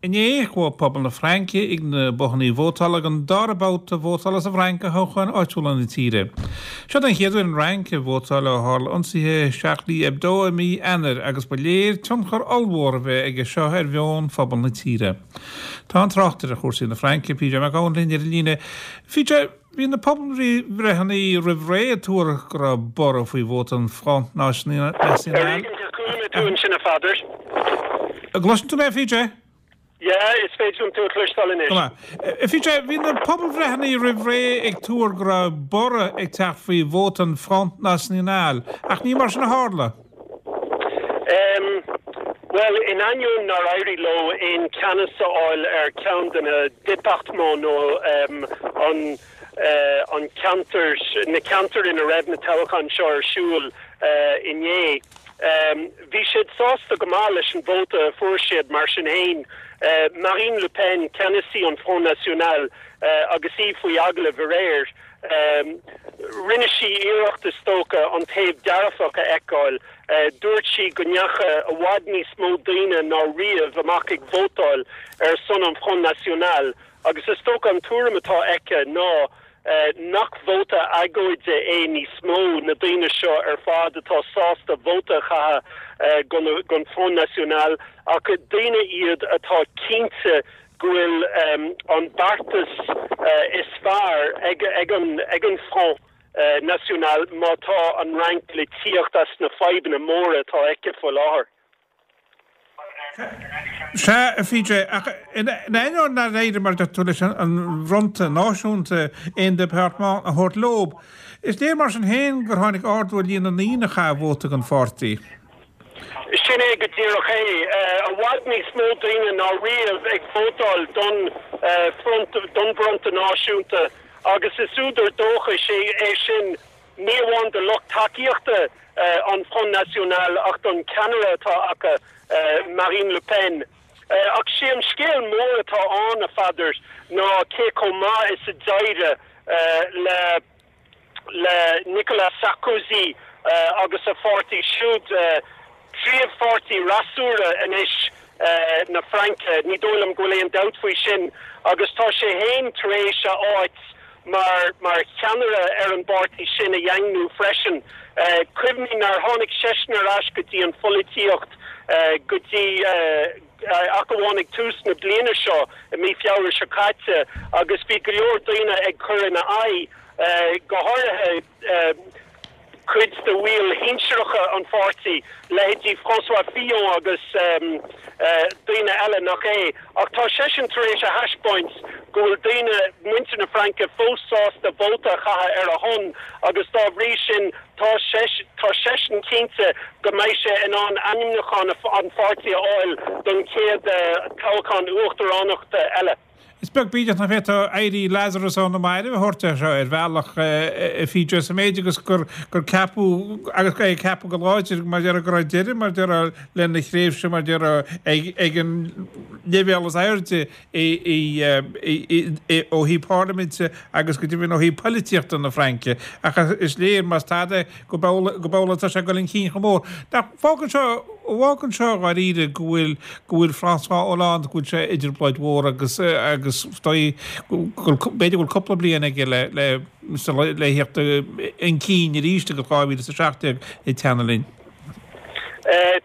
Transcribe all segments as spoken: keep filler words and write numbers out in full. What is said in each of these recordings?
Inné, chuaigh pobal na Fraince ag na bothanna vótála don dara babhta vótála sa Fhrainc do thoghcháin áitiúla na tíre. Seo den chéad uair an Fhrainc ag vótáil ó tharla ionsaithe Charlie Hebdo i mí Eanáir agus ba léir tionchar ollmhór a bheith aige seo ar mheon phobal na tíre. Tá an tráchtaire ar chúrsaí na Fraince P J Mac Gabhann linn ar an líne. P J, bhí na pobalbhreitheanna roimh ré ag tuar go raibh borradh faoi vóta an Front National. Sin a Pheadair. Gcloiseann tú mé, P J? Yeah, is féidir liom tú a chloisteáil anois. P J, bhí na pobalbhreitheanna roimh ré ag tuar go raibh borradh ag teacht faoi vóta an Front National, ach ní mar sin a tharla. Um, well, in ainneoin nár éirigh leo aon cheannas a fháil ar ceann de na départements nó um, an uh, an ceantar na ceantair ina raibh na toghcháin seo ar siúl uh, inné. Um, bhí siad sásta go maith leis an vóta fuair siad mar sin féin. Uh, Marine Le Pen, ceannasaí an Front National uh, agus í faoi agallamh aréir. Um, rinne sí iarracht is dócha an taobh dearfach a fheiceáil. Uh, dúirt sí go ndeachaigh i bhfad níos mó daoine ná riamh amach ag vótáil ar son an Front National, agus is dócha an tuairim atá aici ná uh, nach vóta agóide é níos mó na daoine seo ar fad atá sásta vóta a chaitheamh uh, don Front National, ach daoine iad atá cinnte go bhfuil um, an beartas uh, is fearr ag, ag, an, ag an Front uh, National má tá an Fhrainc le tíocht as na fadhbanna móra atá aici faoi láthair. Sea, P J, in ainneoin nár éirigh mar tú leis an bhFronta Náisiúnta aon département a thabhairt leo. Is léir mar sin féin gur tháinig ardú ar líon na ndaoine a chaith vóta don pháirtí. Sin é go díreach é, i bhfad níos mó daoine ná riamh ag vótáil don front don bhFronta Náisiúnta, agus is údar dóchais é é sin ní amháin do lucht tacaíochta an Front National ach don ceannaire atá acu, Marine Le Pen. Ach sé an scéal mór atá ann, a Pheadair, ná cé chomh maith is a d'éirigh le le Nicolas Sarkozy agus a pháirtí siúd, príomhpháirtí freasúra anois na Fraince, ní dóigh liom go bhfuil aon dabht faoi sin, agus tá sé féin tar éis a áit mar mar cheannaire ar an bpáirtí sin a dhaingniú freisin. Cuimhnigh nár tháinig seisean ar ais go dtí an pholaitíocht go dtí ach amháin ag tús na bliana seo, i mí Feabhra seo caite, agus bhí go leor daoine ag cur ina aghaidh, go háirithe cuid de bhaill shinsearacha an pháirtí, leithéidí François Fillon agus daoine eile nach é, ach tá seisean tar éis a thaispeáint go bhfuil daoine, muintir na Fraince, fós sásta vóta a chaitheamh ar a shon, agus dá bhrí sin tá tá seisean cinnte go mbeidh sé in ann ainmniúchán an pháirtí a fháil don chéad toghchán uachtaránachta eile. Is beag bídeach nach bhféadfá éirí Lazarus ó na mairbh a thabhairt seo ar bhealach, P J, sa méid agus gur gur ceapadh agus é ceapadh go láidir mar deir go raibh deireadh mar deir lena thréimhse mar deir ag ag an leibhéal is airde ó thaobh parlaiminte agus go deimhin ó thaobh polaitíochta na Fraince, ach is léir más tada go go bhfuil tá sé ag dul chun cinn chomh mór. Fágann seo fágann seo dháiríre go bhfuil go bhfuil François Hollande, go bhfuil sé i dtrioblóid mhór agus agus b'fhéidir bhfuil cúpla bliain aige le le le theacht chun cinn arís agus dhá mhíle a seacht déag ag teannadh linn.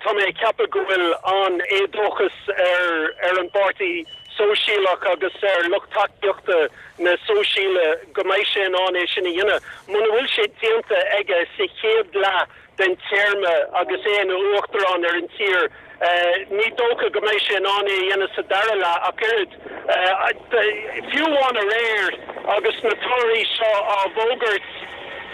Tá mé ag ceapadh go bhfuil an éadóchas ar ar an bPáirtí Sóisialach agus ar lucht tacaíochta na Sóisialaigh go mbeidh sé in ann é sin a dhéanamh. Muna bhfuil sé déanta aige sa chéad leath den téarma agus é ina uachtarán ar an tír, ní dócha go mbeidh sé in ann é a dhéanamh sa dara leath ach oiread. Fiú amháin aréir agus na torthaí seo á bhfógairt,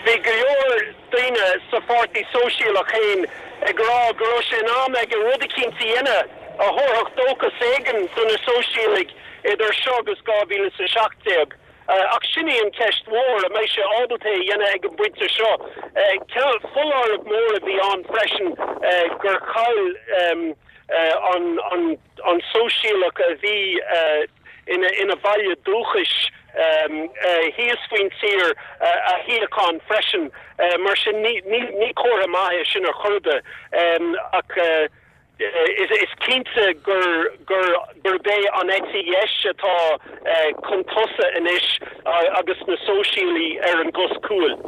bhí go leor daoine sa Pháirtí Sóisialach féin ag rá go raibh sé in am aige rud eicínt a dhéanamh a thabharfadh dóchas éigin do na Sóisialaigh idir seo agus dhá mhíle a seacht déag. Ach sin í an ceist mhór, an mbeidh sé ábalta é a dhéanamh ag an bpointe seo? Foláireamh mór a bhí ann freisin gur chaill an an Sóisialach a bhí ina ina bhaile dúchais thíos faoin tír a shuíochán freisin. Mar sin ní ní comhartha maith é sin ar chor ar bith, ach is, is cinnte gur gur gurb é an eite dheis atá uh, chun tosaigh anois uh, agus na sóisialaigh ar an gcos cúil.